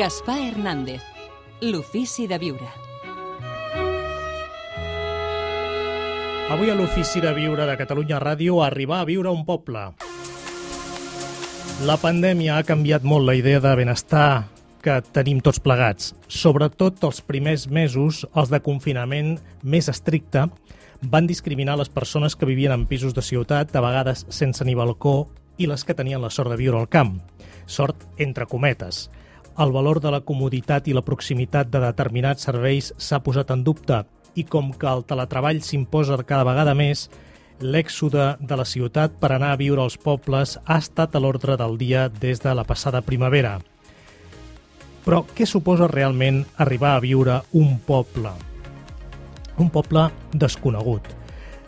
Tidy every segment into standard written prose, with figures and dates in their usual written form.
Gaspar Hernández, l'ofici de viure. Avui a l'Ofici de Viure de Catalunya Ràdio, arribar a viure a un poble. La pandèmia ha canviat molt la idea de benestar que tenim tots plegats. Sobretot els primers mesos, els de confinament més estricte, van discriminar les persones que vivien en pisos de ciutat, a vegades sense ni balcó, i les que tenien la sort de viure al camp. Sort entre cometes. El valor de la comoditat i la proximitat de determinats serveis s'ha posat en dubte, i com que el teletreball s'imposa cada vegada més, l'èxode de la ciutat per anar a viure als pobles ha estat a l'ordre del dia des de la passada primavera. Però què suposa realment arribar a viure un poble? Un poble desconegut.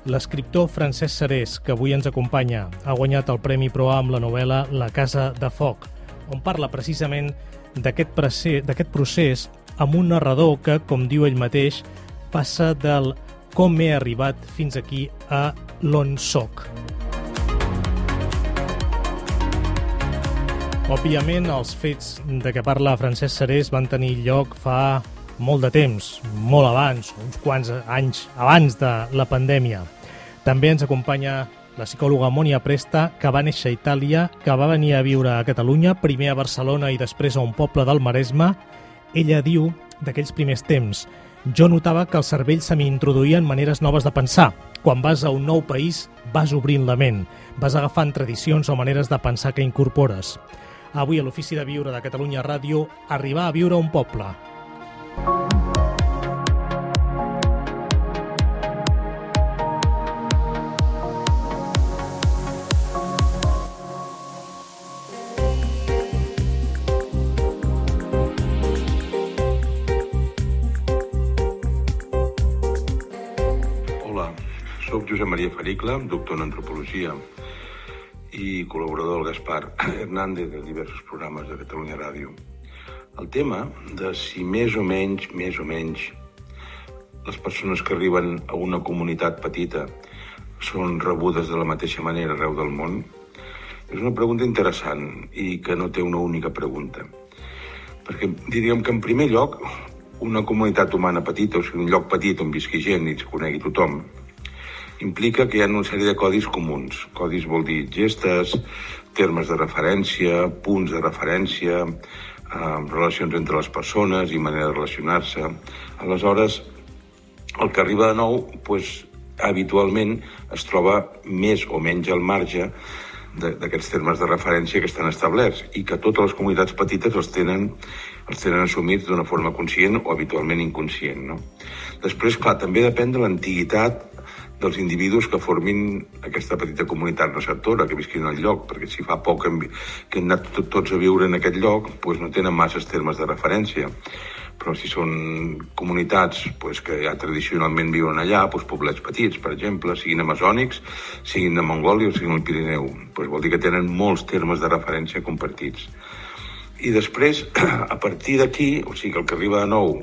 L'escriptor Francesc Serés, que avui ens acompanya, ha guanyat el Premi Proa amb la novel·la La casa de foc, on parla precisament d'aquest procés amb un narrador que, com diu ell mateix, passa del com he arribat fins aquí a l'on soc. Òbviament, els fets de què parla Francesc Serés van tenir lloc fa molt de temps, molt abans, uns quants anys abans de la pandèmia. També ens acompanya la psicòloga Mònia Presta, que va néixer a Itàlia, que va venir a viure a Catalunya, primer a Barcelona i després a un poble del Maresme. Ella diu d'aquells primers temps: jo notava que el cervell se m'introduïen maneres noves de pensar. Quan vas a un nou país, vas obrint la ment, vas agafant tradicions o maneres de pensar que incorpores. Avui a l'Ofici de Viure de Catalunya Ràdio, arribar a viure a un poble. Soc Josep Maria Faricle, doctor en antropologia i col·laborador del Gaspar Hernández de diversos programes de Catalunya Ràdio. El tema de si més o menys, les persones que arriben a una comunitat petita són rebudes de la mateixa manera arreu del món és una pregunta interessant i que no té una única pregunta. Perquè diríem que en primer lloc una comunitat humana petita, o sigui un lloc petit on visqui gent i es conegui tothom, implica que hi ha una sèrie de codis comuns. Codis vol dir gestes, termes de referència, punts de referència, relacions entre les persones i manera de relacionar-se. Aleshores, el que arriba de nou, habitualment es troba més o menys al marge d'aquests termes de referència que estan establerts i que totes les comunitats petites els tenen assumits d'una forma conscient o habitualment inconscient, no? Després, clar, també depèn de l'antiguitat dels individus que formin aquesta petita comunitat receptora, que visquin al lloc, perquè si fa poc que han anat tots a viure en aquest lloc, no tenen masses termes de referència. Però si són comunitats que ja tradicionalment viuen allà, poblets petits, per exemple, siguin amazònics, siguin de Mongòlia o siguin del Pirineu, vol dir que tenen molts termes de referència compartits. I després, a partir d'aquí, o sigui que el que arriba de nou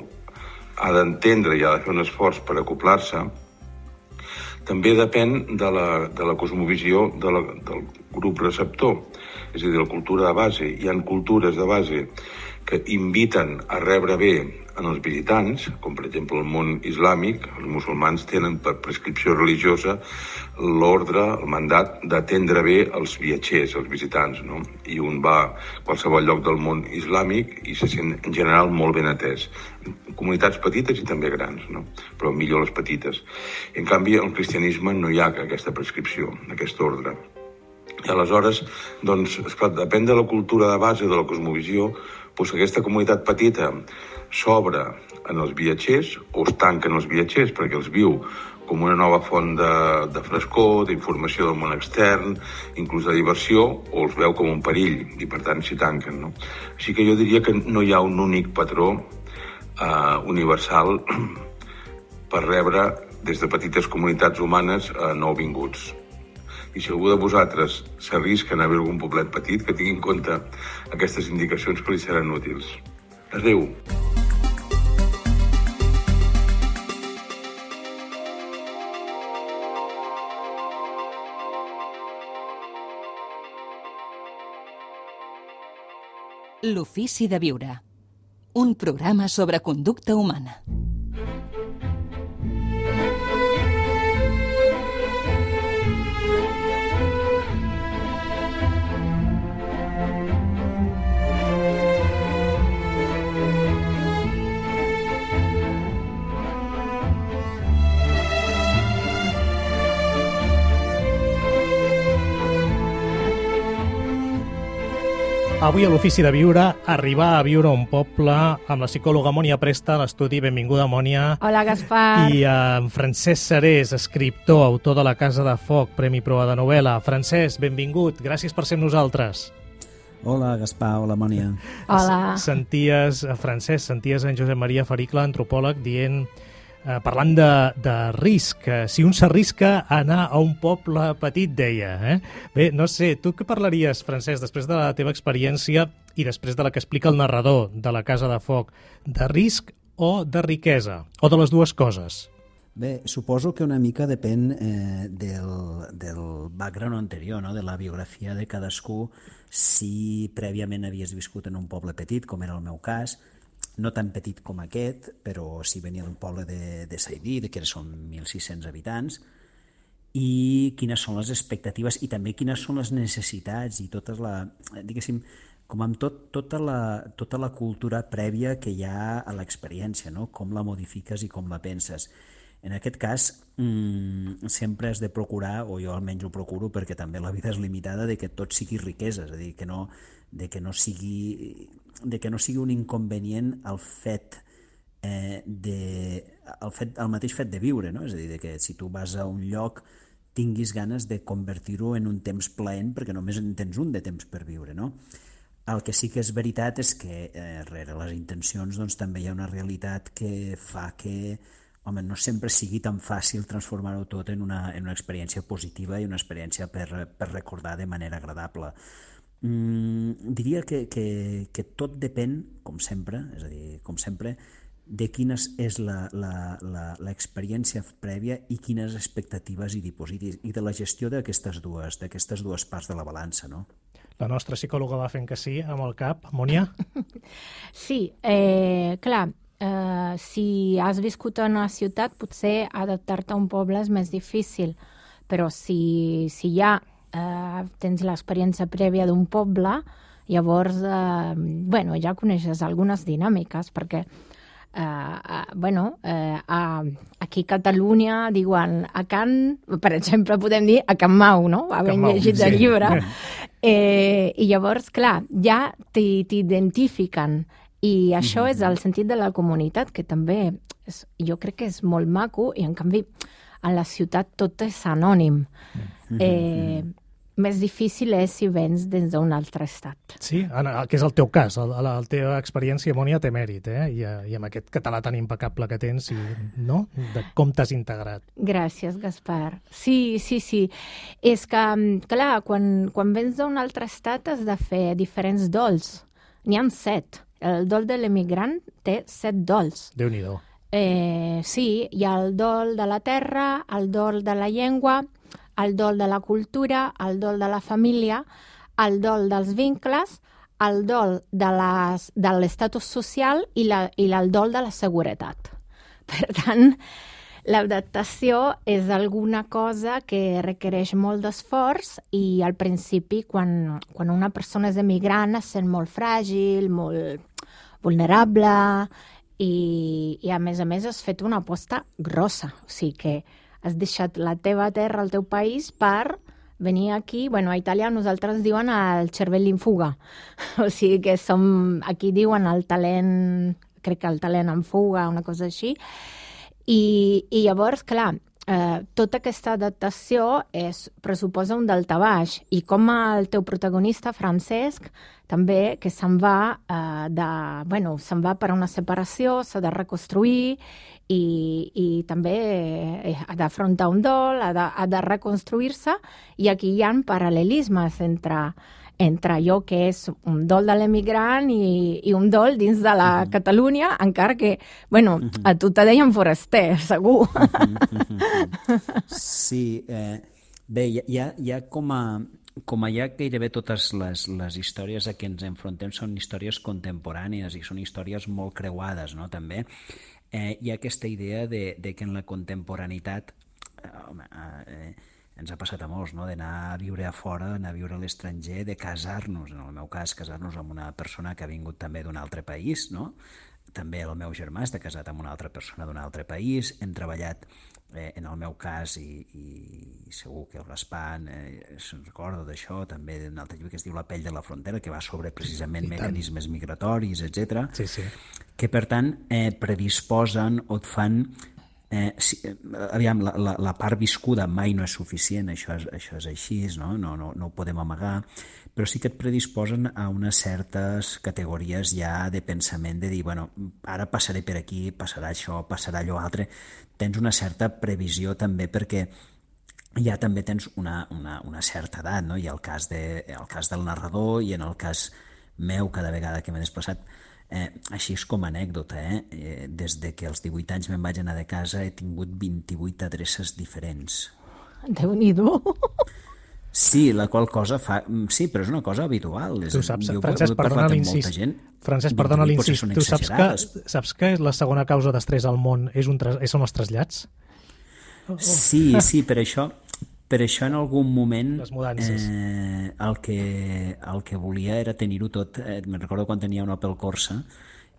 ha d'entendre i ha de fer un esforç per acoplar-se, també depèn de la cosmovisió del grup receptor, és a dir, de la cultura de base. Hi ha cultures de base que inviten a rebre bé en els visitants, com per exemple el món islàmic. Els musulmans tenen per prescripció religiosa l'ordre, el mandat d'atendre bé els viatgers, els visitants, no? I un va a qualsevol lloc del món islàmic i se sent en general molt ben atès. Comunitats petites i també grans, no? Però millor les petites. En canvi, al cristianisme no hi ha aquesta prescripció, aquest ordre. I aleshores, esclar, depèn de la cultura de base, de la cosmovisió, aquesta comunitat petita s'obre en els viatgers o es tanca en els viatgers perquè els viu com una nova font de frescor, d'informació del món extern, inclús de diversió, o els veu com un perill i per tant s'hi tanquen, no? Així que jo diria que no hi ha un únic patró universal per rebre des de petites comunitats humanes nouvinguts. I si algú de vosaltres s'arrisca a viure en un poblet petit, que tingui en compte aquestes indicacions que li seran útils. Adéu. L'ofici de viure. un programa sobre conducta humana. Avui a l'Ofici de Viure, arribar a viure a un poble amb la psicòloga Mònia Presta a l'estudi. Benvinguda, Mònia. Hola, Gaspar. I en Francesc Serés, escriptor, autor de La Casa de Foc, Premi Proa de novel·la. Francesc, benvingut. Gràcies per ser amb nosaltres. Hola, Gaspar. Hola, Mònia. Hola. Francesc, senties en Josep Maria Faricle, antropòleg, dient... parlant de risc, si un s'arrisca a anar a un poble petit, deia. Bé, no sé, tu què parlaries, Francesc, després de la teva experiència i després de la que explica el narrador de La Casa de Foc, de risc o de riquesa, o de les dues coses? Bé, suposo que una mica depèn del background anterior, no? De la biografia de cadascú, si prèviament havies viscut en un poble petit, com era el meu cas, no tan petit com aquest, però sí venia d'un poble de Saidí, que són 1.600 habitants, i quines són les expectatives i també quines són les necessitats i diguéssim, com amb tota la cultura prèvia que hi ha a l'experiència, no? Com la modifiques i com la penses. En aquest cas, sempre has de procurar, o jo almenys ho procuro, perquè també la vida és limitada, de que tot sigui riquesa, és a dir, que no sigui un inconvenient el mateix fet de viure, no? És a dir, que si tu vas a un lloc tinguis ganes de convertir-ho en un temps plaent perquè només en tens un de temps per viure, no? El que sí que és veritat és que rere les intencions doncs, també hi ha una realitat que fa que no sempre sigui tan fàcil transformar-ho tot en una experiència positiva i una experiència per recordar de manera agradable. Diria que tot depèn, com sempre, és a dir, com sempre, de quina és l'experiència prèvia i quines expectatives hi dipositis, i de la gestió d'aquestes dues parts de la balança, no? La nostra psicòloga va fent que sí, amb el cap. Mònia? Sí, clar, si has viscut en una ciutat, potser adaptar-te a un poble és més difícil, però si ja tens l'experiència prèvia d'un poble, llavors ja coneixes algunes dinàmiques, perquè aquí a Catalunya diuen a Can, per exemple, podem dir a Can Mau, no? Havent llegit el llibre. I llavors, clar, ja t'identifiquen. I això és el sentit de la comunitat, que també jo crec que és molt maco, i en canvi a la ciutat tot és anònim. Més difícil és si vens des d'un altre estat. Sí, que és el teu cas. La teva experiència, Mònia, té mèrit, I amb aquest català tan impecable que tens, no? De com t'has integrat. Gràcies, Gaspar. Sí. És que, clar, quan vens d'un altre estat has de fer diferents dols. N'hi ha 7. El dol de l'emigrant té 7 dols. Déu-n'hi-do. Sí, hi ha el dol de la terra, el dol de la llengua, el dol de la cultura, el dol de la família, el dol dels vincles, el dol de l'estatus social i el dol de la seguretat. Per tant, l'adaptació és alguna cosa que requereix molt d'esforç, i al principi, quan una persona és emigrant, es sent molt fràgil, molt vulnerable, i a més has fet una aposta grossa. O sigui que has deixat la teva terra, el teu país, per venir aquí. A Itàlia nosaltres diuen el cervell in fuga. O sigui que aquí diuen el talent, crec que el talent en fuga, una cosa així. I llavors, clar, tota aquesta adaptació pressuposa un daltabaix, i com el teu protagonista, Francesc, també, que se'n va per una separació, s'ha de reconstruir, i també ha d'afrontar un dol, ha de reconstruir-se, i aquí hi ha paral·lelismes entre allò que és un dol de l'emigrant i un dol dins de la Catalunya, encara que, a tu te deien foraster, segur. Sí, bé, hi ha com com allà gairebé totes les històries a què ens enfrontem són històries contemporànies i són històries molt creuades, no? També hi ha aquesta idea de que en la contemporaneitat ens ha passat a molts, no? D'anar a viure a fora, anar a viure a l'estranger, de casar-nos, en el meu cas, casar-nos amb una persona que ha vingut també d'un altre país, no? També el meu germà està casat amb una altra persona d'un altre país, hem treballat, en el meu cas, i segur que el Gaspar se'n recorda d'això, també d'un altre llibre que es diu La pell de la frontera, que va sobre precisament mecanismes migratoris, etc. Sí, sí. Que per tant predisposen o et fan... aviam, la part viscuda mai no és suficient, això és així, no ho podem amagar, però sí que et predisposen a unes certes categories ja de pensament, de dir, bueno, ara passaré per aquí, passarà això, passarà allò altre. Tens una certa previsió també perquè ja també tens una certa edat, no? Hi ha el cas del narrador i en el cas meu, cada vegada que m'he desplaçat, així és com a anècdota, des de que als 18 anys me'n vaig anar de casa he tingut 28 adreces diferents. Déu-n'hi-do! Sí, la qual cosa fa... Sí, però és una cosa habitual. Tu saps, Francesc, perdona l'incís. Francesc, perdona l'incís. Tu saps que la segona causa d'estrès al món són els trasllats? Sí, per això en algun moment el que volia era tenir-ho tot. Me'n recordo quan tenia un Opel Corsa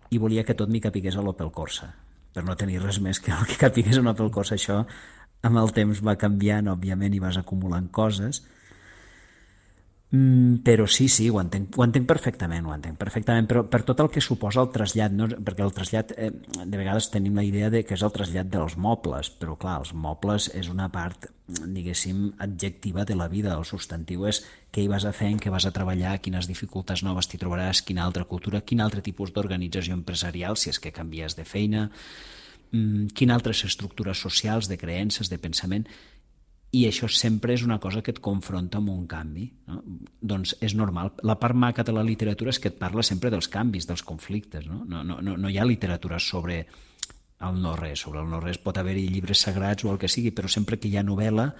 i volia que tot m'hi capigués a l'Opel Corsa, per no tenir res més que el que capigués a un Opel Corsa. Això amb el temps va canviant, òbviament, i vas acumulant coses. Però sí, ho entenc perfectament, però per tot el que suposa el trasllat, no? Perquè el trasllat, de vegades tenim la idea de que és el trasllat dels mobles, però clar, els mobles és una part, diguéssim, adjectiva de la vida. El substantiu és què hi vas a fer, en què vas a treballar, quines dificultats noves t'hi trobaràs, quina altra cultura, quin altre tipus d'organització empresarial, si és que canvies de feina, quines altres estructures socials, de creences, de pensament. I això sempre és una cosa que et confronta amb un canvi, no? Doncs és normal. La part maca de la literatura és que et parla sempre dels canvis, dels conflictes, no? No hi ha literatura sobre el no-res. Sobre el no-res pot haver-hi llibres sagrats o el que sigui, però sempre que hi ha novel·la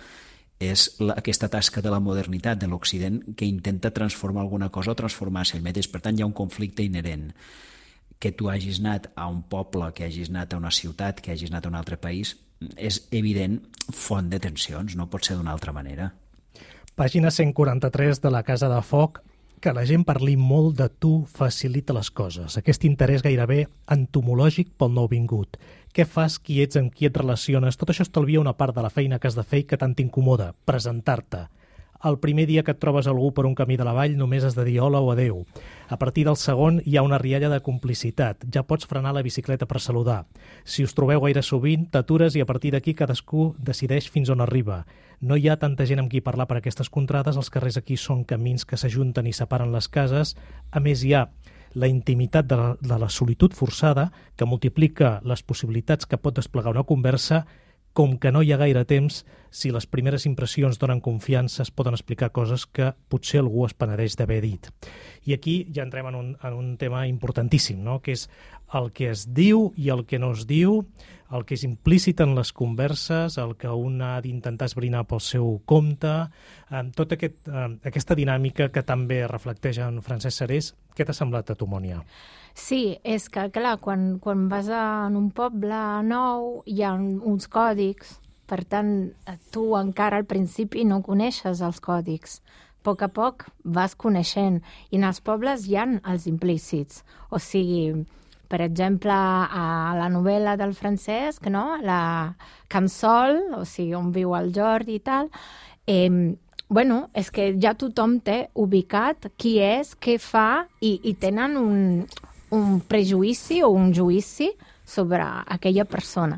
és aquesta tasca de la modernitat, de l'Occident, que intenta transformar alguna cosa o transformar-se ell mateix. Per tant, hi ha un conflicte inherent. Que tu hagis anat a un poble, que hagis anat a una ciutat, que hagis anat a un altre país, és evident font de tensions, no pot ser d'una altra manera. Pàgina 143 de La Casa de Foc. Que la gent parli molt de tu facilita les coses. Aquest interès gairebé entomològic pel nouvingut. Què fas, qui ets, amb qui et relaciones? Tot això estalvia una part de la feina que has de fer i que tant t'incomoda, presentar-te. El primer dia que et trobes algú per un camí de la vall només has de dir hola o adeu. A partir del segon hi ha una rialla de complicitat. Ja pots frenar la bicicleta per saludar. Si us trobeu gaire sovint, t'atures i a partir d'aquí cadascú decideix fins on arriba. No hi ha tanta gent amb qui parlar per aquestes contrades. Els carrers aquí són camins que s'ajunten i separen les cases. A més, hi ha la intimitat de la solitud forçada que multiplica les possibilitats que pot desplegar una conversa. Com que no hi ha gaire temps, si les primeres impressions donen confiança, es poden explicar coses que potser algú es penedeix d'haver dit. I aquí ja entrem en un tema importantíssim, no? Que és el que es diu i el que no es diu, el que és implícit en les converses, el que un ha d'intentar esbrinar pel seu compte, tota aquesta dinàmica que també reflecteix en Francesc Serés. Què t'ha semblat a tu, Mònia? Sí, és que, clar, quan vas en un poble nou hi ha uns còdics, per tant, tu encara al principi no coneixes els còdics. A poc vas coneixent, i en els pobles hi ha els implícits. O sigui, per exemple, a la novel·la del Francesc, no? La Can Sol, o sigui, on viu el Jordi i tal, és que ja tothom té ubicat qui és, què fa, i tenen un prejudici o un judici sobre aquella persona.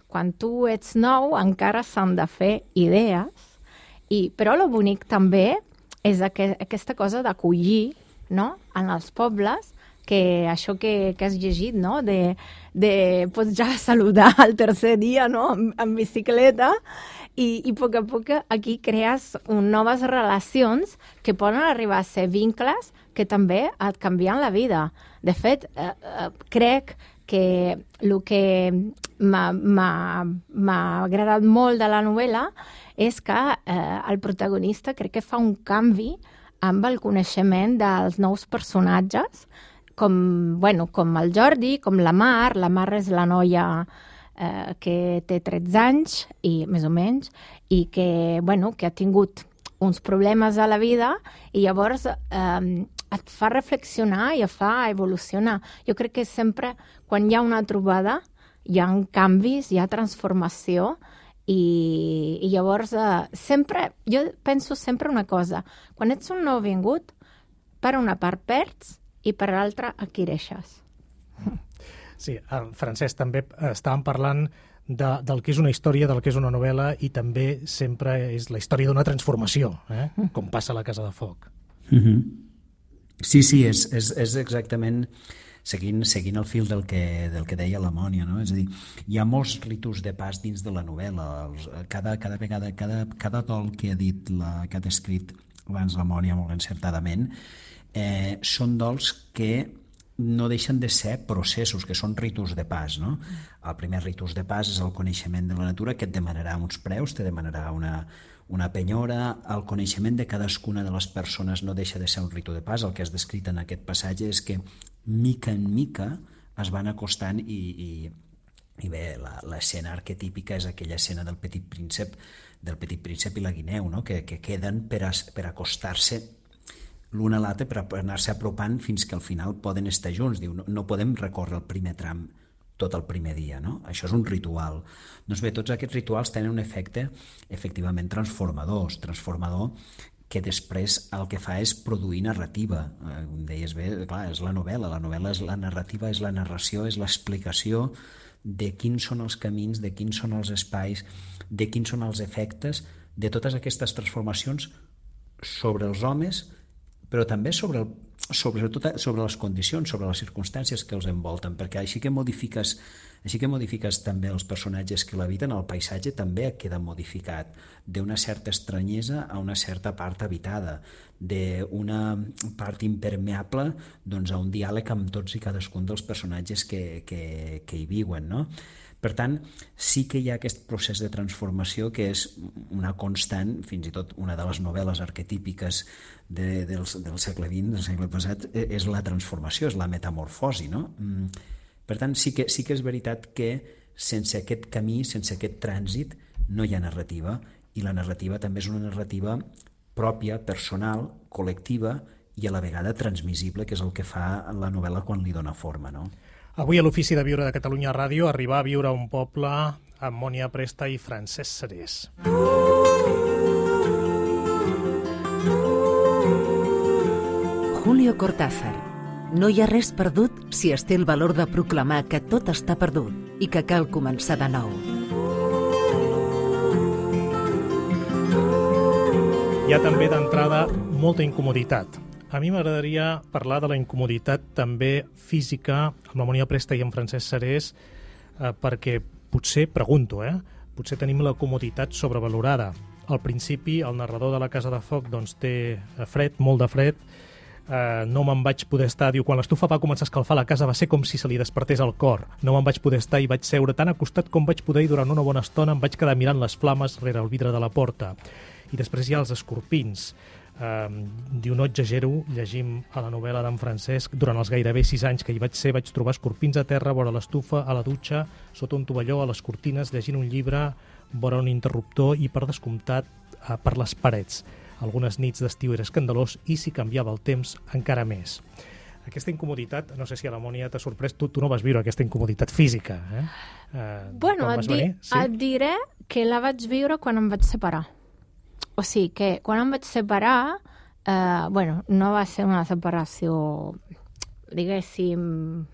Quan tu ets nou encara s'han de fer idees, però el bonic també és aquesta cosa d'acollir, no? En els pobles, que això que has llegit, no? Pots ja saludar el tercer dia, no? En bicicleta, i a poc aquí crees noves relacions que poden arribar a ser vincles que també et canvien la vida. De fet, crec que el que m'ha agradat molt de la novel·la és que el protagonista crec que fa un canvi amb el coneixement dels nous personatges, com el Jordi, com la Mar. La Mar és la noia que té 13 anys, i més o menys, i que ha tingut uns problemes a la vida, i llavors et fa reflexionar i et fa evolucionar. Jo crec que sempre, quan hi ha una trobada, hi ha canvis, hi ha transformació, i llavors jo penso sempre una cosa: quan ets un nouvingut, per una part perds i per l'altra adquireixes. Sí, Francesc, també estàvem parlant del que és una història, del que és una novel·la, i també sempre és la història d'una transformació, com passa a la Casa de Foc. Sí, és exactament seguint el fil del que deia la Mònia, no? És a dir, hi ha molts ritus de pas dins de la novel·la. Cada vegada, cada dol que ha descrit abans la Mònia molt encertadament, són dols que no deixen de ser processos, que són ritus de pas, no? El primer ritus de pas és el coneixement de la natura, que et demanarà uns preus, te demanarà una penyora. El coneixement de cadascuna de les persones no deixa de ser un ritu de pas. El que has descrit en aquest passatge és que mica en mica es van acostant i bé, l'escena arquetípica és aquella escena del Petit Príncep i la guineu, no? que queden per acostar-se l'un a l'altre, per anar-se apropant fins que al final poden estar junts. Diu, no podem recórrer el primer tram tot el primer dia, no? Això és un ritual. Doncs bé, tots aquests rituals tenen un efecte efectivament transformador, que després el que fa és produir narrativa. Deies bé, clar, és la novel·la és la narrativa, és la narració, és l'explicació de quins són els camins, de quins són els espais, de quins són els efectes de totes aquestes transformacions sobre els homes, però també sobretot sobre les condicions, sobre les circumstàncies que els envolten, perquè així que modifiques també els personatges que l'habiten, el paisatge també queda modificat d'una certa estranyesa a una certa part habitada, d'una part impermeable doncs, a un diàleg amb tots i cadascun dels personatges que hi viuen, no? Per tant, sí que hi ha aquest procés de transformació que és una constant, fins i tot una de les novel·les arquetípiques del segle XX, del segle passat, és la transformació, és la metamorfosi, no? Per tant, sí que és veritat que sense aquest camí, sense aquest trànsit, no hi ha narrativa, i la narrativa també és una narrativa pròpia, personal, col·lectiva i a la vegada transmissible, que és el que fa la novel·la quan li dona forma, no? Avui a l'Ofici de Viure de Catalunya Ràdio, arribar a viure a un poble amb Mònia Presta i Francesc Serés. Julio Cortázar. No hi ha res perdut si es té el valor de proclamar que tot està perdut i que cal començar de nou. Hi ha també d'entrada molta incomoditat. A mi m'agradaria parlar de la incomoditat també física amb la Mònia Presta i amb Francesc Serés, perquè potser, pregunto, potser tenim la comoditat sobrevalorada. Al principi, el narrador de la Casa de Foc doncs, té fred, molt de fred, no me'n vaig poder estar, diu, quan l'estufa va començar a escalfar la casa va ser com si se li despertés el cor, no me'n vaig poder estar i vaig seure tan acostat com vaig poder i durant una bona estona em vaig quedar mirant les flames rere el vidre de la porta. I després hi ha els escorpins. Diu, no exagero, llegim a la novel·la d'en Francesc, durant els gairebé 6 anys que hi vaig ser, vaig trobar escorpins a terra, vora l'estufa, a la dutxa, sota un tovalló, a les cortines, llegint un llibre, vora un interruptor i, per descomptat, per les parets. Algunes nits d'estiu era escandalós i, si canviava el temps, encara més. Aquesta incomoditat, no sé si a la Mònia t'ha sorprès, tu no vas viure aquesta incomoditat física, Bueno, et diré que la vaig viure quan em vaig separar. O sigui que quan em vaig separar, no va ser una separació, diguéssim,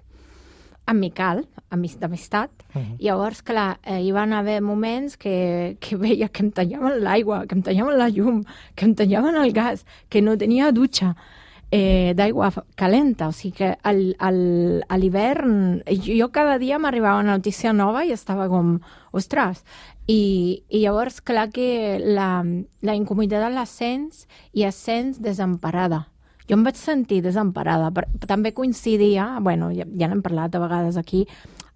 amical, d'amistat. Llavors, clar, hi van haver moments que veia que em tallaven l'aigua, que em tallaven la llum, que em tallaven el gas, que no tenia dutxa d'aigua calenta. O sigui que a l'hivern jo cada dia m'arribava una notícia nova i estava com, ostres. I llavors, clar que la incomoditat la sents i es sents desemparada. Jo em vaig sentir desemparada. També coincidia, ja n'hem parlat a vegades aquí,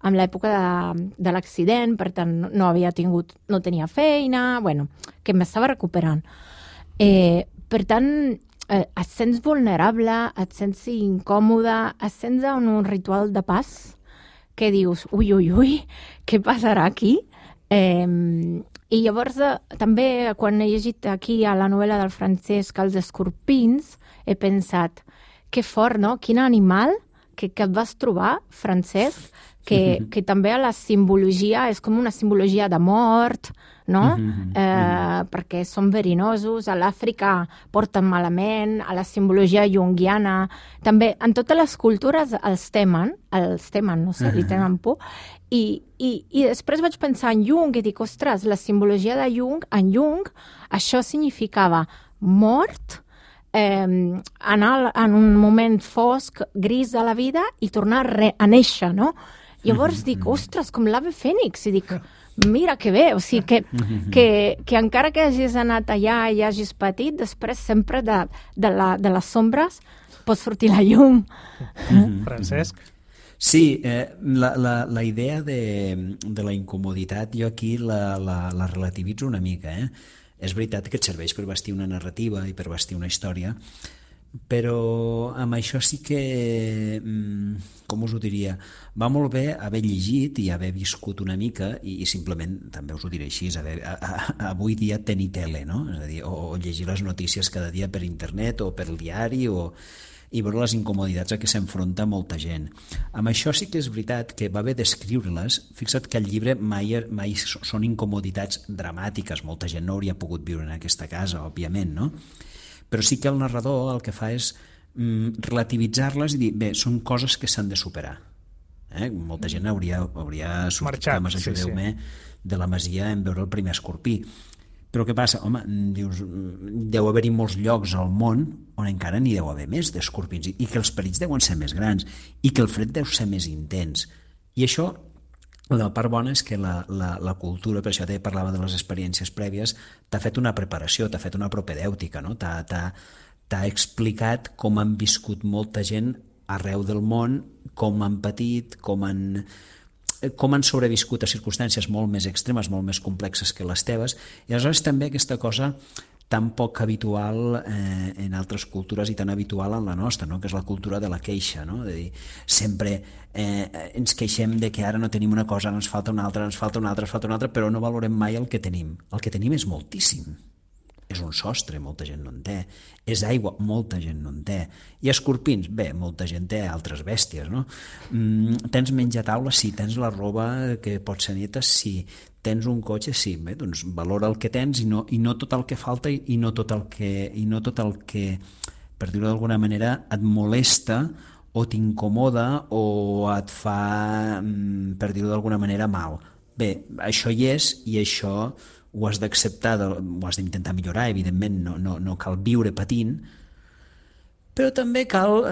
en l'època de l'accident, per tant no tenia feina, que m'estava recuperant. Per tant, et sents vulnerable, et sents incòmode, et sents en un ritual de pas que dius, ui, què passarà aquí? I llavors, també, quan he llegit aquí a la novel·la del Francesc Els escorpins, he pensat, que fort, no? Quin animal que et vas trobar, Francesc, que també a la simbologia és com una simbologia de mort, no? Perquè són verinosos, a l'Àfrica porten malament, a la simbologia junguiana, també en totes les cultures els temen, no sé, li tenen por, i després vaig pensar en Jung i dic, ostres, la simbologia de Jung, en Jung, això significava mort, anar en un moment fosc, gris de la vida i tornar a néixer, no? Llavors dic, ostres, com l'ave fènix, i dic, mira que bé, o sigui que encara que hagis anat allà i hagis patit, després sempre de les sombres pot sortir la llum. Francesc? Sí, la idea de la incomoditat jo aquí la relativitzo una mica. És veritat que et serveix per bastir una narrativa i per bastir una història, però amb això sí que, com us ho diria, va molt bé haver llegit i haver viscut una mica i simplement, també us ho diré així, avui dia tenir tele, no? És a dir, o llegir les notícies cada dia per internet o per el diari i veure les incomoditats a què s'enfronta molta gent. Amb això sí que és veritat que va bé descriure-les. Fixa't que el llibre mai són incomoditats dramàtiques, molta gent no hauria pogut viure en aquesta casa, òbviament, no? Però sí que el narrador el que fa és relativitzar-les i dir, bé, són coses que s'han de superar. Molta gent hauria sortit, cames, ajudeu-me, de la masia en veure el primer escorpí. Però què passa? Home, dius, deu haver-hi molts llocs al món on encara n'hi deu haver més d'escorpins i que els perills deuen ser més grans i que el fred deu ser més intens. I això, la part bona és que la cultura, per això parlava de les experiències prèvies, t'ha fet una preparació, t'ha fet una propedèutica, no? T'ha explicat com han viscut molta gent arreu del món, com han patit, com han sobreviscut a circumstàncies molt més extremes, molt més complexes que les teves, i aleshores també aquesta cosa tan poc habitual en altres cultures i tan habitual en la nostra, no? Que és la cultura de la queixa, no? De dir, sempre ens queixem de que ara no tenim una cosa, ens falta una altra, però no valorem mai el que tenim. El que tenim és moltíssim. És un sostre, molta gent no en té. És aigua, molta gent no en té. I escorpins, bé, molta gent té altres bèsties, no? Tens menjataula? Sí. Tens la roba que pot ser neta? Sí. Tens un cotxe? Sí. Bé, doncs valora el que tens i no tot el que falta i no tot el que, per dir-ho d'alguna manera, et molesta o t'incomoda o et fa, per dir-ho d'alguna manera, mal. Bé, això hi és i això ho has d'acceptar, ho has d'intentar millorar, evidentment, no cal viure patint, però també cal,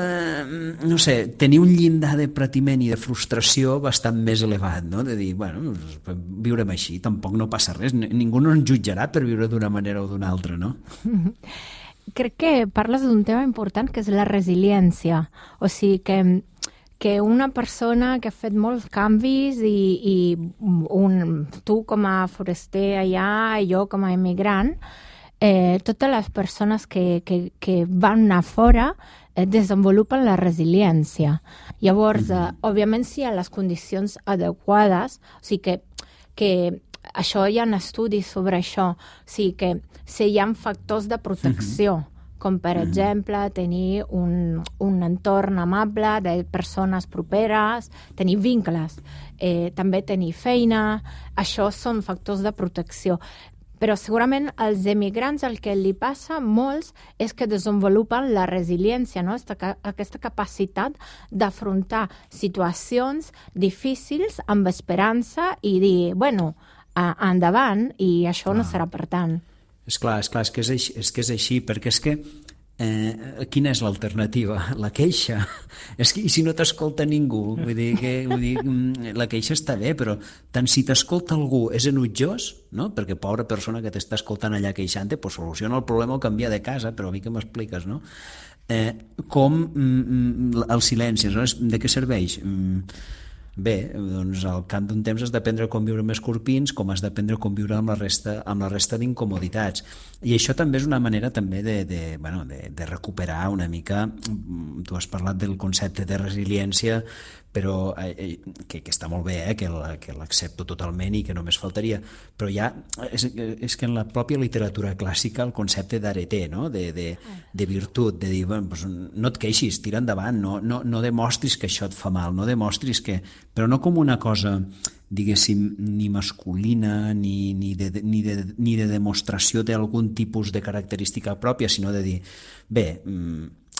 no sé, tenir un llindar de patiment i de frustració bastant més elevat, no? De dir, bueno, viurem així, tampoc no passa res, ningú no ens jutjarà per viure d'una manera o d'una altra, no? Crec que parles d'un tema important que és la resiliència, o sigui que una persona que ha fet molts canvis i tu com a foraster allà i jo com a immigrant, totes les persones que van anar fora desenvolupen la resiliència. Llavors, òbviament, si hi ha les condicions adequades, o sigui que això hi ha estudis sobre això, o sigui que si hi ha factors de protecció, com per exemple tenir un entorn amable de persones properes, tenir vincles, també tenir feina, això són factors de protecció. Però segurament als emigrants el que li passa a molts és que desenvolupen la resiliència, no? Aquesta capacitat d'afrontar situacions difícils amb esperança i dir, bueno, endavant, i això no serà per tant. És clar, és que és així, perquè és que quina és l'alternativa? La queixa. És que, i si no t'escolta ningú? Vull dir, la queixa està bé, però tant si t'escolta algú és enutjós, no? Perquè pobra persona que t'està escoltant allà queixant, pues soluciona el problema o canvia de casa, però a mi que m'expliques, no? Com el silenci, de què serveix? Bé, doncs al cap d'un temps has d'aprendre com viure amb escorpins, com has d'aprendre com viure amb la resta d'incomoditats. I això també és una manera també de recuperar una mica, tu has parlat del concepte de resiliència, però que està molt bé, que l'accepto totalment i que només faltaria, però ja és que en la pròpia literatura clàssica el concepte d'areté, no? de virtut, de dir, bueno, doncs no et queixis, tira endavant, no demostris que això et fa mal, no demostris que... però no com una cosa, diguéssim, ni masculina ni de demostració d'algun tipus de característica pròpia, sinó de dir, bé,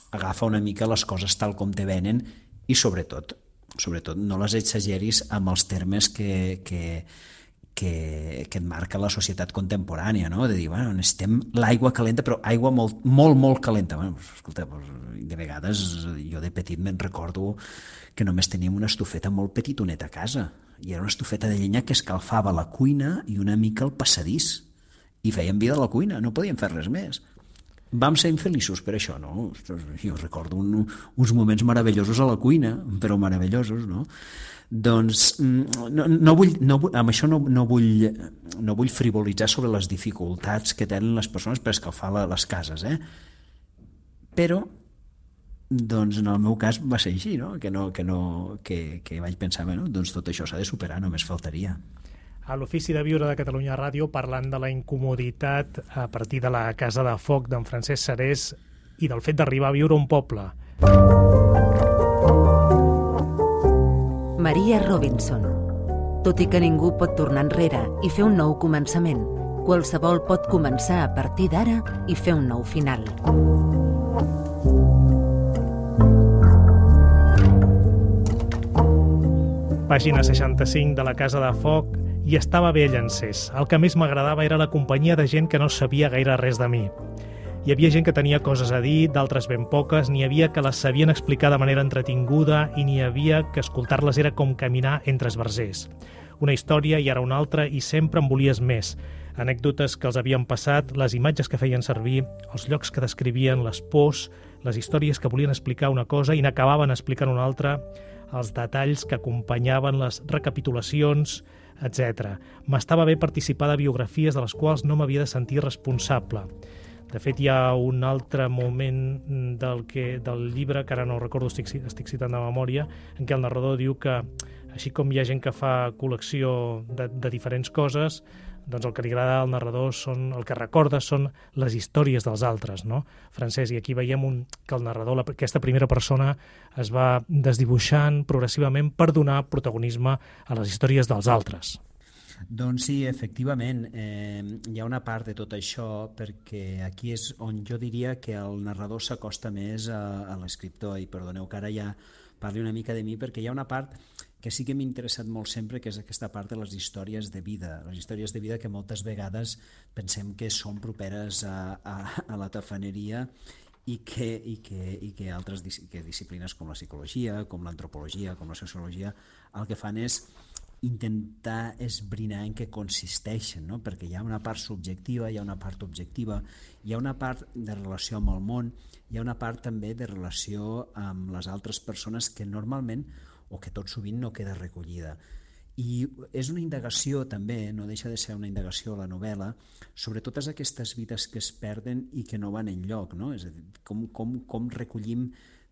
agafa una mica les coses tal com te venen i sobretot no les exageris amb els termes que et marca la societat contemporània, no? De dir, bueno, necessitem l'aigua calenta, però aigua molt, molt, molt calenta. Bueno, escolta, de vegades jo de petit me'n recordo que només teníem una estufeta molt petitoneta a casa, i era una estufeta de llenya que escalfava la cuina i una mica el passadís, i feien vida a la cuina, no podíem fer res més. Vam ser infeliços per això, no? Jo recordo uns moments meravellosos a la cuina, però meravellosos, no? Doncs amb això no vull frivolitzar sobre les dificultats que tenen les persones per escalfar les cases, però doncs en el meu cas va ser així, no? Que vaig pensar, bueno, doncs tot això s'ha de superar, només faltaria. A l'Ofici de Viure de Catalunya Ràdio, parlant de la incomoditat a partir de la Casa de Foc d'en Francesc Serés i del fet d'arribar a viure a un poble. Maria Robinson. Tot i que ningú pot tornar enrere i fer un nou començament, qualsevol pot començar a partir d'ara i fer un nou final. Pàgina 65 de la Casa de Foc. I estava bé allà encès. El que més m'agradava era la companyia de gent que no sabia gaire res de mi. Hi havia gent que tenia coses a dir, d'altres ben poques, n'hi havia que les sabien explicar de manera entretinguda i n'hi havia que escoltar-les era com caminar entre esbarzers. Una història i ara una altra i sempre en volies més. Anècdotes que els havien passat, les imatges que feien servir, els llocs que descrivien, les pors, les històries que volien explicar una cosa i n'acabaven explicant una altra, els detalls que acompanyaven les recapitulacions, etc. M'estava bé participar de biografies de les quals no m'havia de sentir responsable. De fet, hi ha un altre moment del llibre, que ara no recordo, estic citant de memòria, en què el narrador diu que, així com hi ha gent que fa col·lecció de diferents coses, doncs el que li agrada al narrador el que recorda són les històries dels altres, no? Francesc, i aquí veiem que el narrador, aquesta primera persona, es va desdibuixant progressivament per donar protagonisme a les històries dels altres. Doncs sí, efectivament, hi ha una part de tot això, perquè aquí és on jo diria que el narrador s'acosta més a l'escriptor, i perdoneu que ara ja parli una mica de mi, perquè hi ha una part que sí que m'ha interessat molt sempre, que és aquesta part de les històries de vida. Les històries de vida que moltes vegades pensem que són properes a la tafaneria i que altres disciplines com la psicologia, com l'antropologia, com la sociologia, el que fan és intentar esbrinar en què consisteixen, no? Perquè hi ha una part subjectiva, hi ha una part objectiva, hi ha una part de relació amb el món, hi ha una part també de relació amb les altres persones que normalment o que tot sovint no queda recollida. I és una indagació també, no deixa de ser una indagació a la novel·la, sobre totes aquestes vides que es perden i que no van enlloc, no? És a dir, com recollim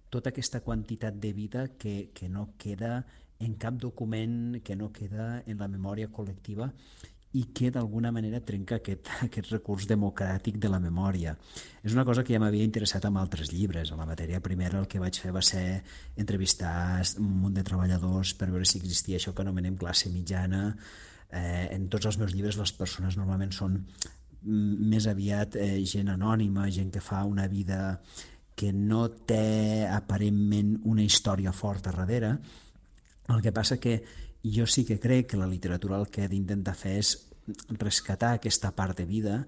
tota aquesta quantitat de vida que no queda en cap document, que no queda en la memòria col·lectiva i que d'alguna manera trenca aquest recurs democràtic de la memòria. És una cosa que ja m'havia interessat amb altres llibres. A la matèria primera el que vaig fer va ser entrevistar un munt de treballadors per veure si existia això que anomenem classe mitjana. En tots els meus llibres les persones normalment són més aviat gent anònima, gent que fa una vida que no té aparentment una història forta darrere. El que passa que jo sí que crec que la literatura el que ha d'intentar fer és rescatar aquesta part de vida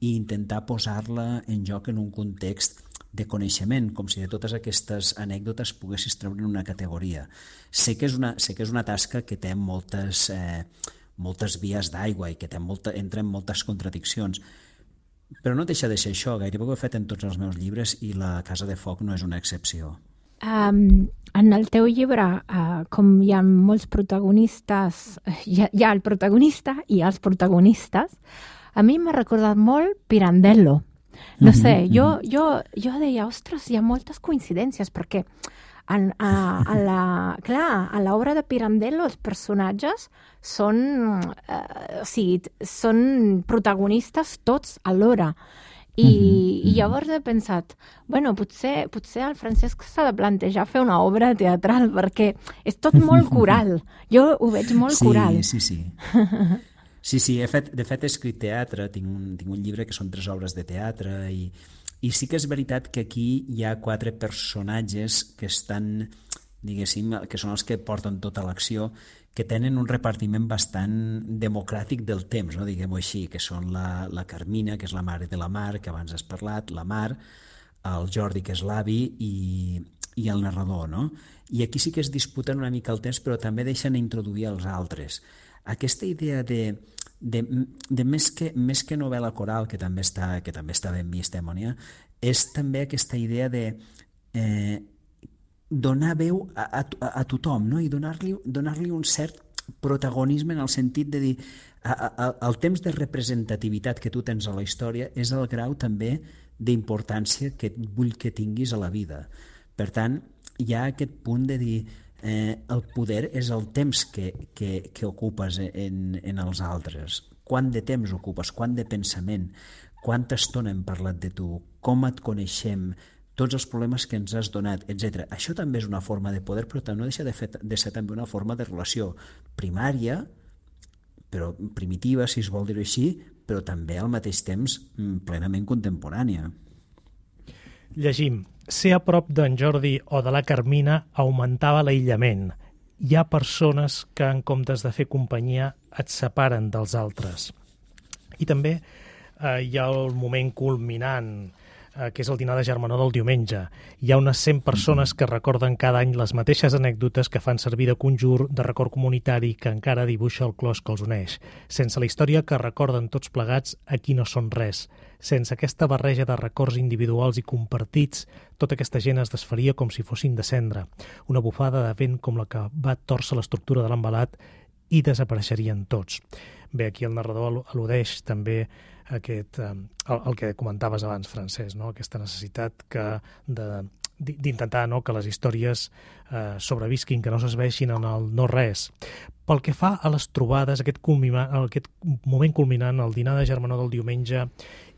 i intentar posar-la en joc en un context de coneixement, com si de totes aquestes anècdotes poguessis treure una categoria. Sé que és una tasca que té moltes vies d'aigua i que entra en moltes contradiccions, però no deixa de ser això. Gairebé ho he fet en tots els meus llibres i la Casa de Foc no és una excepció. En el teu llibre, com hi ha molts protagonistes, hi ha el protagonista i els protagonistes, a mi m'ha recordat molt Pirandello. No sé, jo deia, ostres, hi ha moltes coincidències, perquè a l'obra de Pirandello els personatges són protagonistes tots alhora. I llavors he pensat, bueno, potser el Francesc s'ha de plantejar fer una obra teatral, perquè és tot molt coral. Jo ho veig molt coral. Sí. Sí, de fet he escrit teatre, tinc un llibre que són 3 obres de teatre i sí que és veritat que aquí hi ha 4 personatges que estan, diguéssim, que són els que porten tota l'acció, que tenen un repartiment bastant democràtic del temps, no? Diguem-ho així, que són la Carmina, que és la mare de la Mar, que abans has parlat, la Mar, el Jordi, que és l'avi, i el narrador, no? I aquí sí que es disputen una mica el temps, però també deixen introduir els altres. Aquesta idea de més que novel·la coral, que també està ben vist, Mònia, és també aquesta idea de donar veu a tothom, no? I donar-li un cert protagonisme en el sentit de dir el temps de representativitat que tu tens a la història és el grau també d'importància que vull que tinguis a la vida. Per tant, hi ha aquest punt de dir el poder és el temps que ocupes en els altres. Quant de temps ocupes, quant de pensament, quanta estona hem parlat de tu, com et coneixem, tots els problemes que ens has donat, etc. Això també és una forma de poder, però no deixa de ser també una forma de relació primària, però primitiva, si es vol dir-ho així, però també al mateix temps plenament contemporània. Llegim. Ser a prop d'en Jordi o de la Carmina augmentava l'aïllament. Hi ha persones que, en comptes de fer companyia, et separen dels altres. I també hi ha el moment culminant, que és el dinar de germanor del diumenge. Hi ha unes 100 persones que recorden cada any les mateixes anècdotes que fan servir de conjur, de record comunitari, que encara dibuixa el clos que els uneix. Sense la història que recorden tots plegats, aquí no són res. Sense aquesta barreja de records individuals i compartits, tota aquesta gent es desfaria com si fossin de cendra. Una bufada de vent com la que va tòrcer l'estructura de l'embalat i desapareixerien tots. Bé, aquí el narrador al·ludeix també el que comentaves abans, Francesc, no? Aquesta necessitat d'intentar que les històries sobrevisquin, que no s'esveixin en el no-res. Pel que fa a les trobades, aquest moment culminant, el dinar de germanor del diumenge,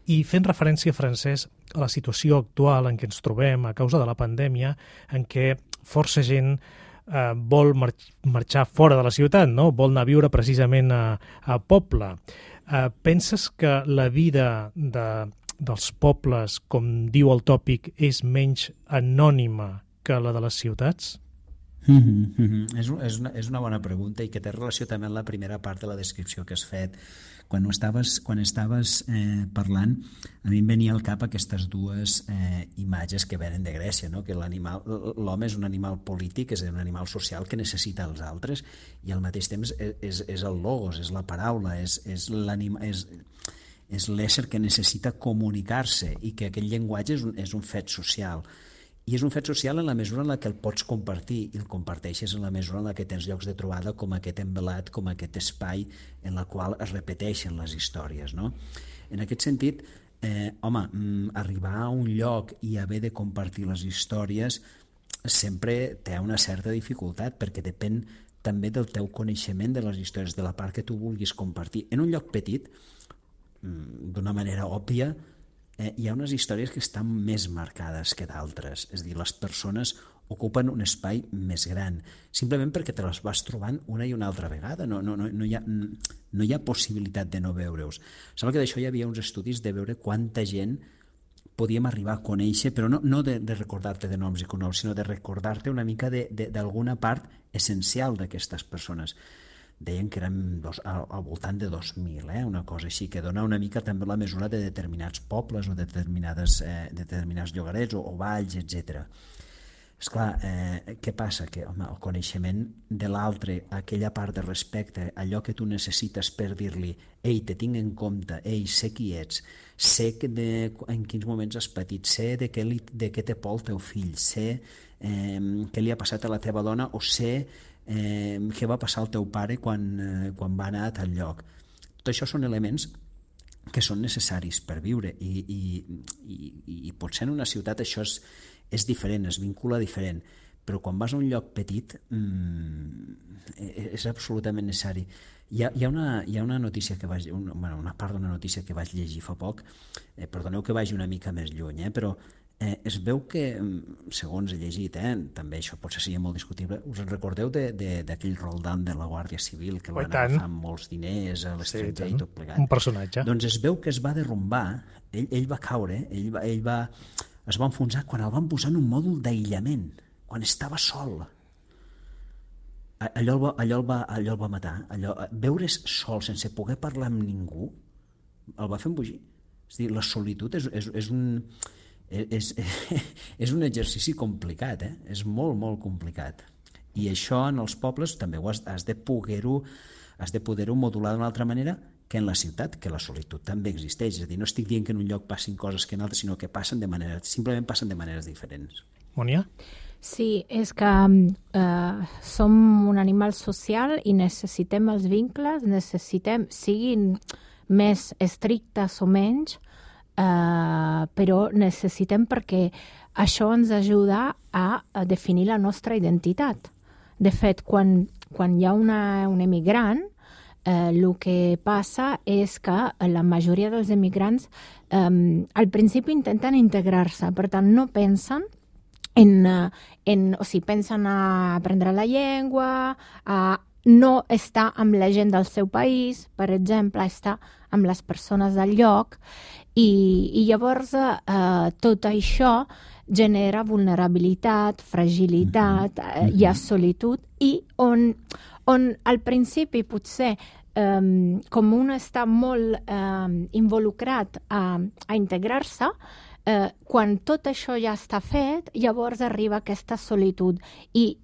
i fent referència, Francesc, a la situació actual en què ens trobem a causa de la pandèmia, en què força gent vol marxar fora de la ciutat, no? Vol anar a viure precisament a poble. Penses que la vida dels pobles, com diu el tòpic, és menys anònima que la de les ciutats? És una bona pregunta i que té relació també amb la primera part de la descripció que has fet. Quan estaves parlant, a mi em venia al cap aquestes dues imatges que venen de Grècia, no? Que l'home és un animal polític, és un animal social que necessita els altres i al mateix temps és el logos, és la paraula, és l'ésser que necessita comunicar-se i que aquest llenguatge és un fet social. I és un fet social en la mesura en la que el pots compartir i el comparteixes en la mesura en la que tens llocs de trobada com aquest envelat, com aquest espai en la qual es repeteixen les històries, no? En aquest sentit, arribar a un lloc i haver de compartir les històries sempre té una certa dificultat perquè depèn també del teu coneixement de les històries, de la part que tu vulguis compartir. En un lloc petit, d'una manera òbvia, hi ha unes històries que estan més marcades que d'altres, és a dir, les persones ocupen un espai més gran, simplement perquè te les vas trobant una i una altra vegada, no hi ha possibilitat de no veure-us. Sembla que d'això hi havia uns estudis de veure quanta gent podíem arribar a conèixer, però no de recordar-te de noms i cognoms, sinó de recordar-te una mica d'alguna part essencial d'aquestes persones. Deien que eren al voltant de 2.000, una cosa així, que dona una mica també la mesura de determinats pobles o de determinats llogarets o valls, etc. Esclar, què passa? Que home, el coneixement de l'altre, aquella part de respecte, allò que tu necessites per dir-li ei, te tinc en compte, ei, sé qui ets, sé en quins moments has patit, sé de què té por el teu fill, sé què li ha passat a la teva dona o sé què va passar al teu pare quan va anar a tal lloc. Tot això són elements que són necessaris per viure i potser en una ciutat això és diferent, es vincula diferent, però quan vas a un lloc petit és absolutament necessari. Hi ha una notícia que una part d'una notícia que vaig llegir fa poc, perdoneu que vagi una mica més lluny, però es veu que, segons he llegit, també això potser seria molt discutible, us en recordeu d'aquell Roldán de la Guàrdia Civil que el van agafar amb molts diners a l'estranger i tot plegat? Un personatge. Doncs es veu que es va derrumbar, ell va caure, es va enfonsar quan el van posar en un mòdul d'aïllament, quan estava sol. Allò el va matar. Veure's sol sense poder parlar amb ningú el va fer embogir. És a dir, la solitud és un exercici complicat, és molt, molt complicat. I això en els pobles també has de poder-ho modular d'una altra manera que en la ciutat, que la solitud també existeix. És a dir, no estic dient que en un lloc passin coses que en altres, sinó que simplement passen de maneres diferents. Mònia? Sí, és que som un animal social i necessitem els vincles, siguin més estrictes o menys, però necessitem perquè això ens ajuda a definir la nostra identitat. De fet, quan hi ha un emigrant, el que passa és que la majoria dels emigrants al principi intenten integrar-se, per tant no pensen pensen a aprendre la llengua, a no estar amb la gent del seu país, per exemple, estar amb les persones del lloc, i llavors tot això genera vulnerabilitat, fragilitat, hi ha solitud, i on al principi potser com un està molt involucrat a integrar-se, quan tot això ja està fet, llavors arriba aquesta solitud. I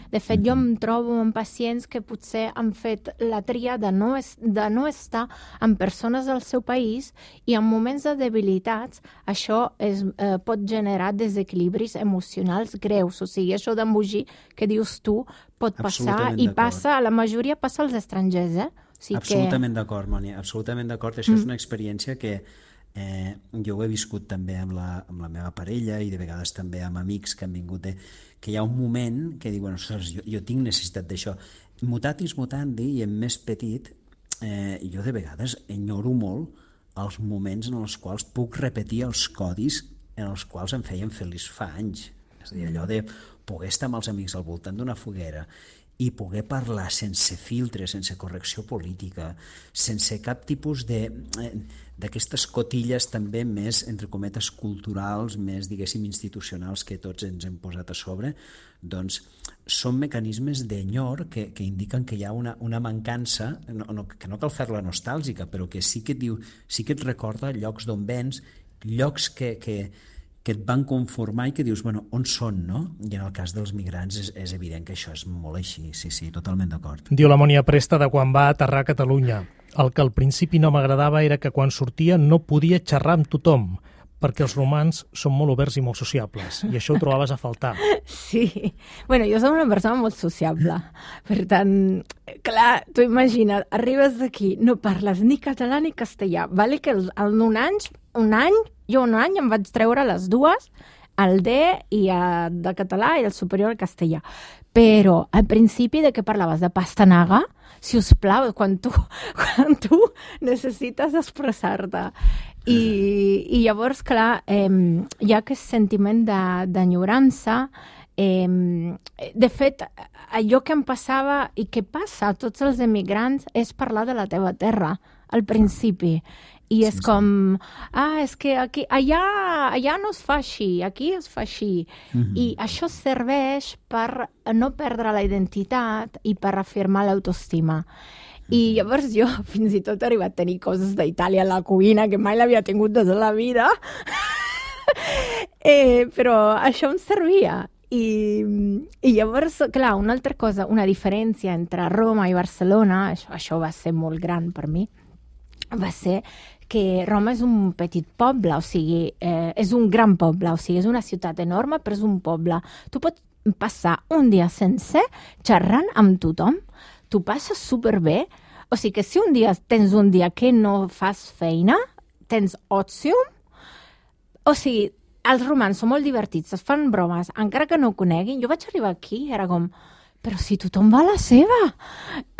de fet, jo em trobo amb pacients que potser han fet la tria de no estar amb persones del seu país i en moments de debilitats això pot generar desequilibris emocionals greus. O sigui, això d'embogir que dius tu pot passar i passa, la majoria passa als estrangers. Absolutament d'acord, Mònia, absolutament d'acord. Això és una experiència que jo ho he viscut també amb la meva parella i de vegades també amb amics que han vingut, que hi ha un moment que diuen, jo tinc necessitat d'això. Mutatis mutandi i en més petit, jo de vegades enyoro molt els moments en els quals puc repetir els codis en els quals em feien feliç fa anys. És a dir, allò de poder estar amb els amics al voltant d'una foguera i poder parlar sense filtre, sense correcció política, sense cap tipus d'aquestes cotilles també més, entre cometes, culturals, més, diguéssim, institucionals que tots ens hem posat a sobre, doncs són mecanismes d'enyor que indiquen que hi ha una mancança, que no cal fer-la nostàlgica, però que sí que et recorda llocs d'on vens, llocs que et van conformar i que dius, bueno, on són, no? I en el cas dels migrants és evident que això és molt així, sí, totalment d'acord. Diu la Mònia Presta de quan va aterrar a Catalunya. El que al principi no m'agradava era que quan sortia no podia xerrar amb tothom, perquè els romans són molt oberts i molt sociables, i això ho trobaves a faltar. Sí. Bueno, jo soc una persona molt sociable. Per tant, clar, tu imagina't, arribes d'aquí, no parles ni català ni castellà. Vale que en un any em vaig treure les dues, el D de català i el superior al castellà. Però al principi de què parlaves? De pastanaga? Si us plau, quan tu necessites expressar-te. I llavors, clar, hi ha aquest sentiment d'enyorança. De fet, allò que em passava i que passa a tots els emigrants és parlar de la teva terra al principi. I és com, és que allà no es fa així, aquí es fa així. I això serveix per no perdre la identitat i per afirmar l'autoestima. I llavors jo fins i tot he arribat a tenir coses d'Itàlia a la cuina que mai l'havia tingut tota la vida. Però això em servia. I llavors, clar, una altra cosa, una diferència entre Roma i Barcelona, això va ser molt gran per mi, va ser que Roma és un petit poble, o sigui, és un gran poble, o sigui, és una ciutat enorme, però és un poble. Tu pots passar un dia sencer xerrant amb tothom, tu passes superbé, o sigui que si un dia tens un dia que no fas feina, tens òcium, o sigui, els romans són molt divertits, es fan bromes, encara que no ho coneguin. Jo vaig arribar aquí i era com, però si tothom va a la seva.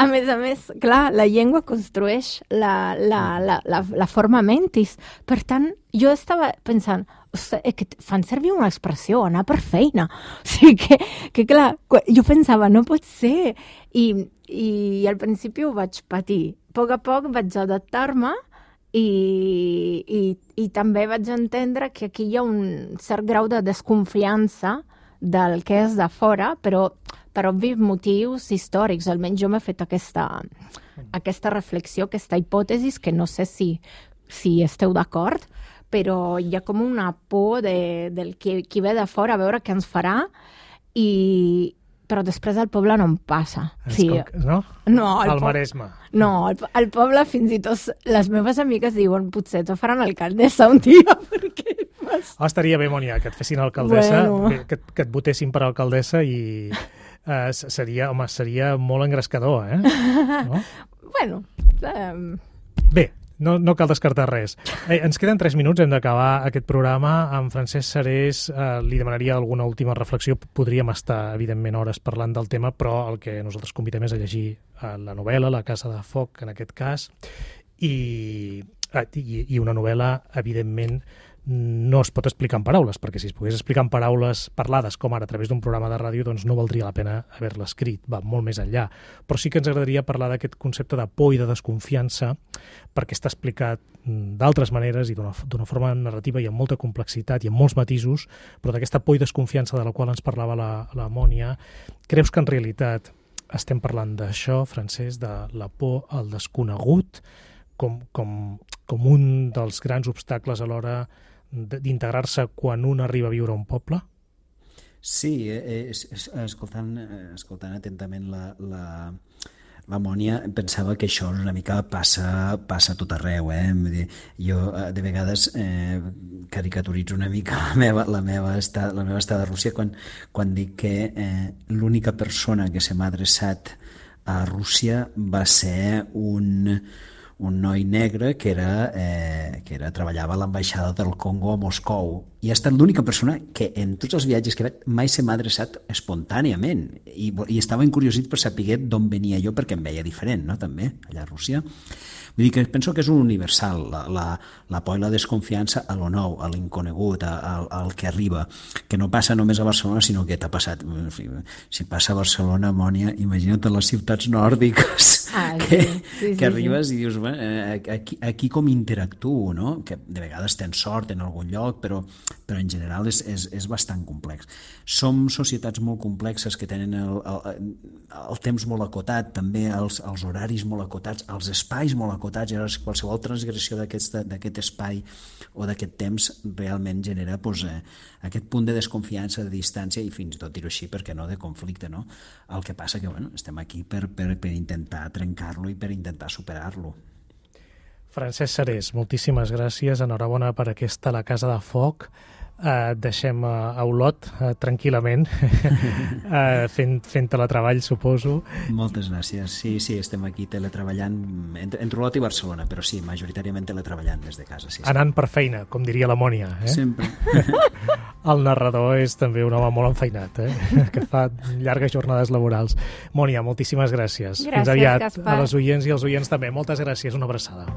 A més, clar, la llengua construeix la forma mentis. Per tant, jo estava pensant, que fan servir una expressió, anar per feina. O sigui que clar, jo pensava, no pot ser. I al principi ho vaig patir. A poc vaig adaptar-me i també vaig entendre que aquí hi ha un cert grau de desconfiança del que és de fora, però per obvis motius històrics. Almenys jo m'he fet aquesta reflexió, aquesta hipòtesi, que no sé si esteu d'acord, però hi ha com una por del qui ve de fora a veure què ens farà, però després al poble no em passa. Sí. No? No, al Maresme. No, al poble fins i tot les meves amigues diuen potser te faran alcaldessa un dia, perquè estaria bé, Mònia, que et fessin alcaldessa, que et votessin per alcaldessa i seria molt engrescador, No? Bueno. Bé, no cal descartar res. Ens queden 3 minuts, hem d'acabar aquest programa. En Francesc Sarés li demanaria alguna última reflexió. Podríem estar, evidentment, hores parlant del tema, però el que nosaltres convidem és a llegir la novel·la, La casa de foc, en aquest cas, i una novel·la, evidentment, no es pot explicar en paraules, perquè si es pogués explicar en paraules parlades, com ara a través d'un programa de ràdio, doncs no valdria la pena haver-la escrit, va molt més enllà. Però sí que ens agradaria parlar d'aquest concepte de por i de desconfiança, perquè està explicat d'altres maneres i d'una forma narrativa i amb molta complexitat i amb molts matisos, però d'aquesta por i desconfiança de la qual ens parlava la Mònia. Creus que en realitat estem parlant d'això, Francesc, de la por al desconegut, com un dels grans obstacles a l'hora d'integrar-se quan un arriba a viure a un poble? Sí, escoltant atentament la Mònia, pensava que això una mica passa a tot arreu. Vull dir, jo de vegades caricaturitzo una mica la meva estada a Rússia quan dic que l'única persona que se m'ha adreçat a Rússia va ser un noi negre que treballava a l'ambaixada del Congo a Moscou, i ha estat l'única persona que en tots els viatges que he fet mai se m'ha adreçat espontàniament, i estava encuriosit per saber d'on venia jo, perquè em veia diferent, no? També allà a Rússia. Vull dir que penso que és un universal, la por i la desconfiança a lo nou, a l'inconegut, al que arriba, que no passa només a Barcelona, sinó que t'ha passat. Si passa a Barcelona, Mònia, imagina't les ciutats nòrdiques que arribes i dius, aquí com interactuo, no? Que de vegades tens sort en algun lloc, però en general és bastant complex. Som societats molt complexes que tenen el temps molt acotat, també els horaris molt acotats, els espais molt acotats, i qualsevol transgressió d'aquest espai o d'aquest temps realment genera aquest punt de desconfiança, de distància i fins i tot dir-ho així, perquè no, de conflicte, no? El que passa que estem aquí per intentar trencar-lo i per intentar superar-lo. Francesc Sarés, moltíssimes gràcies, enhorabona per aquesta La casa de foc. Deixem a Olot tranquil·lament fent teletreball, suposo. Moltes gràcies. Sí, estem aquí teletreballant entre Olot i Barcelona, però sí, majoritàriament teletreballant des de casa. Sí. Anant per feina, com diria la Mònia. Sempre. El narrador és també un home molt enfeinat, que fa llargues jornades laborals. Mònia, moltíssimes gràcies. Gràcies, fins aviat. Gaspar. A les oients i als oients també. Moltes gràcies, una abraçada.